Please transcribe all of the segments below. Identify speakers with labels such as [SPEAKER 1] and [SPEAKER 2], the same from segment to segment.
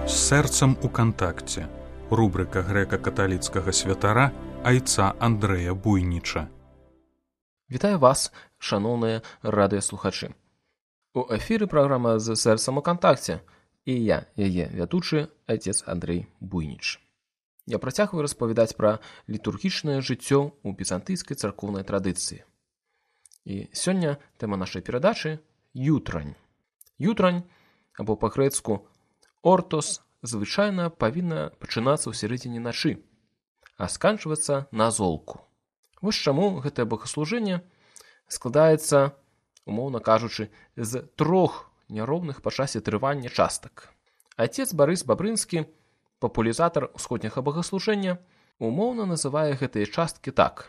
[SPEAKER 1] З сэрцам у кантакце. Рубрика грэка-каталіцкага святара айца Андрэя Буйніча.
[SPEAKER 2] Вітаю вас, шаноўныя радыёслухачы. У эфіры праграма «З сэрцам у кантакце» і я, яе вядучы, айцец Андрэй Буйніч. Я працягваю распавядаць пра літургічнае жыццё ў візантыйскай царкоўнай традыцыі. І сёння тэма нашай перадачы – ютрань. Ютрань, або па-грэцку «ортос», звычайна павінна пачынацца ў сярэдзіне начы, а сканчвацца на золку. Вось чаму гэтае богаслужэнне складаецца, умоўна кажучы, з 3 няроўных па часе трывання частак. Айцец Барыс Бабрынскі, папулярызатар усходняга богаслужэння, умоўна называе гэтыя часткі так.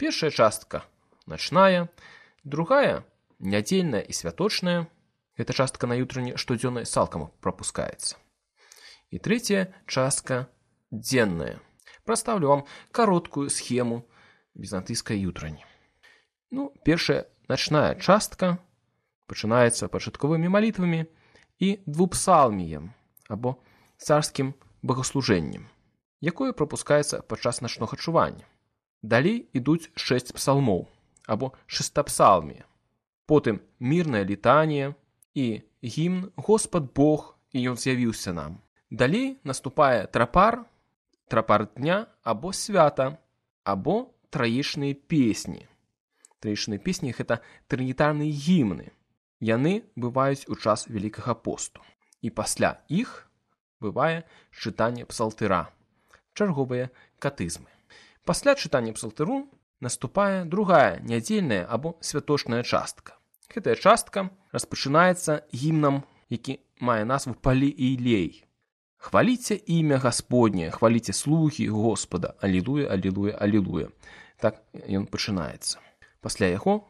[SPEAKER 2] Першая частка – начная, другая – нядзельная і святочная, гэта частка на ютране штодзённай цалкам прапускаецца. І трэцяя частка – дзенная. Прадстаўлю вам кароткую схему візантыйскай ютрані. Першая начная частка пачынаецца пачатковымі малітвамі і двупсалміем, або царскім богаслужэннем, якое прапускаецца падчас начнога чування. Далей ідуць 6 псалмоў, або шестапсалмія. Потым мірная літанія і гімн «Господ Бог, і Ён з'явіўся нам». Далей наступае трапар дня або свята, або траечныя песні. Траечныя песні – гэта трынітарныя гімны. Яны бываюць у час Вялікага посту. І пасля іх бывае чытанне псалтыра, чарговыя катызмы. Пасля чытання псалтыру наступае другая нядзельная або святочная частка. Гэтая частка распачынаецца гімнам, які мае назву «Палі-Ілей». «Хваліце імя Гасподняе, хваліце слугі Господа, алілуя, алілуя, алілуя». Так ён пачынаецца. Пасля яго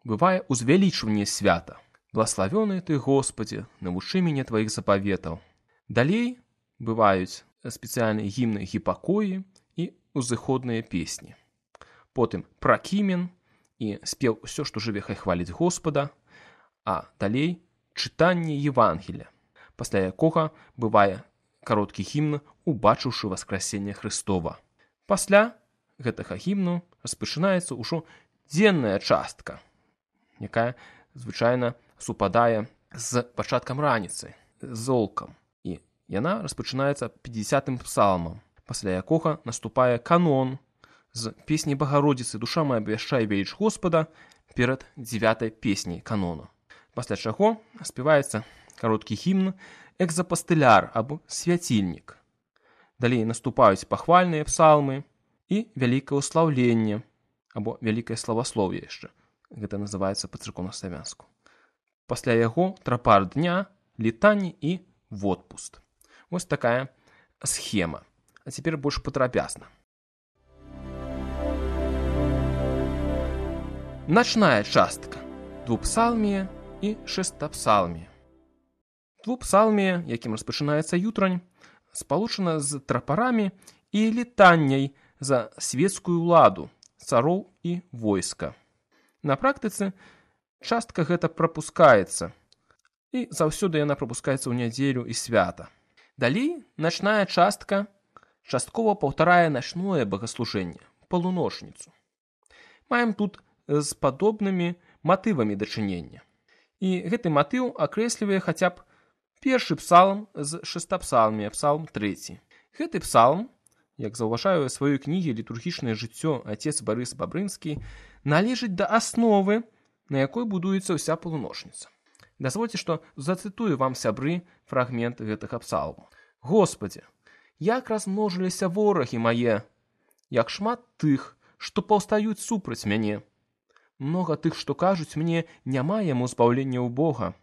[SPEAKER 2] бывае узвялічванне свята. «Благаславёны ты, Господи, навучы мяне тваіх запаветаў». Далей бываюць спецыяльныя гімны гіпакоі і узыходныя песні. Потым пракімен і спеў «Усё, што жыве, хай хваліць Господа», а далей чытанне Евангелія, пасля якога бывае кароткі гімн «Убачыўшы васкрасенне Хрыстова». Пасля гэтага гімну распачынаецца ўжо дзенная частка, якая звычайна супадае з пачаткам раніцы, з золкам. І яна распачынаецца 50-м псалмам, пасля якога наступае канон з песні Багародзіцы «Душа моя абвяшчае веліч Господа» перад 9-й песняй канону. Пасля чаго спяваецца кароткі гімн «Экзапастыляр» або «Свяцільнік». Далей наступаюць пахвальныя псалмы і вялікае ўслаўленне, або вялікае славаслоўе яшчэ. Гэта называецца па-царкоўнаславянску. Пасля яго трапар дня, літанне і водпуст. Вось такая схема. А цяпер больш падрабязна. Начная частка. Двупсалмія і шестапсалмія. Двупсалмія, якім распачынаецца ютрань, спалучана з трапарамі і літанняй за свецкую ўладу, цароў і войска. На практыцы частка гэта прапускаецца, і заўсёды яна прапускаецца ў нядзелю і свята. Далей начная частка часткова паўтарае начное богаслужэнне, палуночніцу. Маем тут з падобнымі матывамі дачынення. І гэты матыў акрэслівае хаця б першы псалм з шестапсалмія, псалм 3. Гэты псалм, як заўважае ў сваёй кнігі «Літургічнае жыццё» айцец Барыс Бабрынскі, належыць да асновы, на якой будуецца ўся палуночніца. Дазвольце, што зацытую вам, сябры, фрагмент гэтага псалму. «Господи, як размножыліся ворагі мае, як шмат тых, што паўстаюць супраць мяне. Многа тых, што кажуць мне, няма яму збаўлення ў Бога.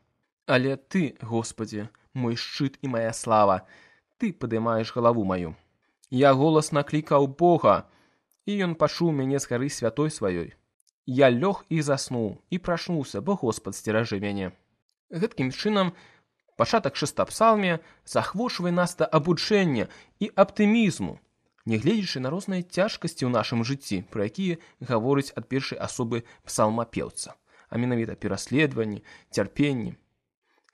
[SPEAKER 2] Але ты, Господи, мой шчыт і моя слава, ты падымаеш галаву маю. Я голасна клікаў Бога, і ён пачуў мяне з гары святой сваёй. Я лёг і заснуў, і прачнуўся, бо Господ сцеражы мяне». Гэткім чынам пачатак шестапсалмія захвочвае нас да абуджэння і аптымізму, нягледзячы на розныя цяжкасці ў нашым жыцці, пра якія гаворыць ад першай асобы псалмапеўца, а менавіта пераследаванні, цярпенні.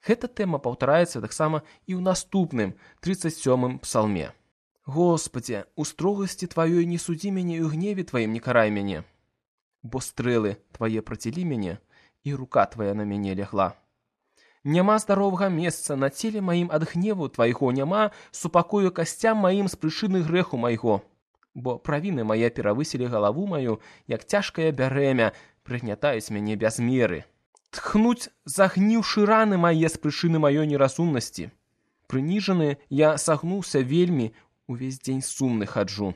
[SPEAKER 2] Гэта тэма паўтараецца таксама і ў наступным 37-м псалме. Господи, у строгасці Тваёй не судзі мяне і ў гневе Тваім не карай мяне. Бо стрэлы Твае працілі мяне, і рука Твая на мяне лягла. Няма здаровага месца на целе маім ад гневу Твайго, няма супакою касцям маім з прычыны грэху майго. Бо правіны мае перавысілі галаву маю, як цяжкае бярэмя, прыгнятаюць мяне без меры. Тхнуць загніўшы раны мае з прычыны маёй неразумнасці. Прыніжаны я сагнуўся вельмі, увесь дзень сумны хаджу.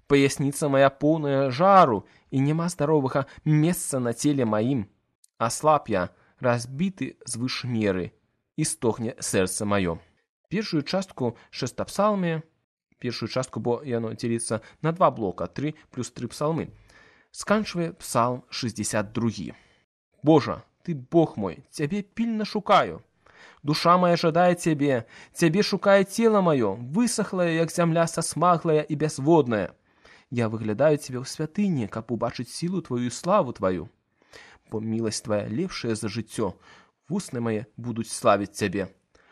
[SPEAKER 2] Паясніца моя поўная жару, і няма здаровага месца на целе маім. Аслаб я, разбіты звыш меры, і стогне сэрца маё. Першую частку шестапсалме, першую частку, бо яно дзеліцца на два блока, 3 плюс 3 псалмы, сканчвае псалм 62. Божа, Ты Бог мой, Цябе пільна шукаю. Душа моя жадае Цябе, Цябе шукае цела маё, высохлая, як зямля сасмаглая і бязводная. Я выглядаю Цябе ў святыні, каб убачыць сілу Твою і славу Тваю. Бо міласць Твая лепшая за жыццё, вусны мае будуць славіць Цябе.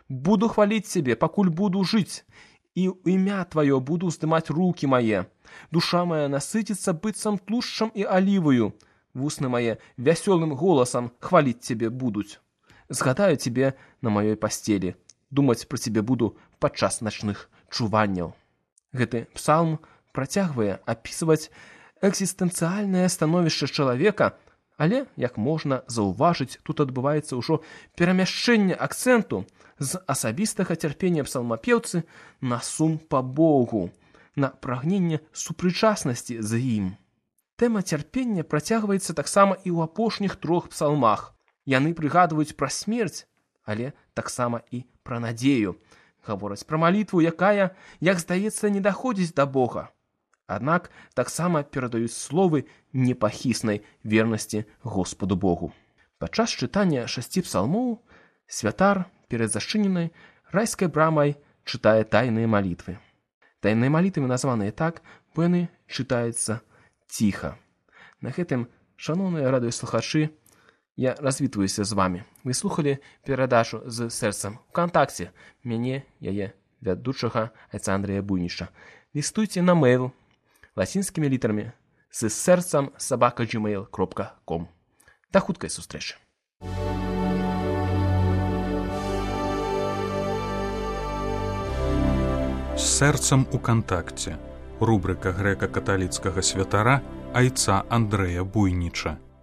[SPEAKER 2] Буду хваліць Цябе, пакуль буду жыць, і ў імя Тваё буду здымаць рукі мае. Душа моя насыціцца быццам тлушчам і аліваю. Вусны мае вясёлым голасам хваліць Цябе будуць. Згадаю Цябе на маёй пасцелі, думаць пра Цябе буду падчас начных чуванняў. Гэты псалм працягвае апісваць экзістэнцыяльнае становішча чалавека, але, як можна заўважыць, тут адбываецца ўжо перамяшчэнне акцэнту з асабістага цярпення псалмапеўцы на сум па Богу, на прагненне супрычаснасці з ім. Тэма цярпення працягваецца таксама і ў апошніх 3 псалмах. Яны прыгадваюць пра смерць, але таксама і пра надзею. Гавораць пра малітву, якая, як здаецца, не даходзіць да Бога. Аднак таксама перадаюць словы непахіснай вернасці Господу Богу. Падчас чытання 6 псалмоў святар перад зачыненай райскай брамай чытае тайныя малітвы. Тайныя малітвы названыя так, бо яны чытаюцца ціха. На гэтым, шаноўныя радыёслухачы, я развітваюся з вамі. Вы слухалі перадачу з сэрцам ВКонтакце. Мяне, яе вядучага айца Андрэя Буйніча. Лістуйце на мэйл лацінскімі літарамі з сэрцам @gmail.com. Да хуткай сустрэчы.
[SPEAKER 1] З сэрцам у кантакце. Рубрика грэка-каталіцкага святара айца Андрэя Буйніча.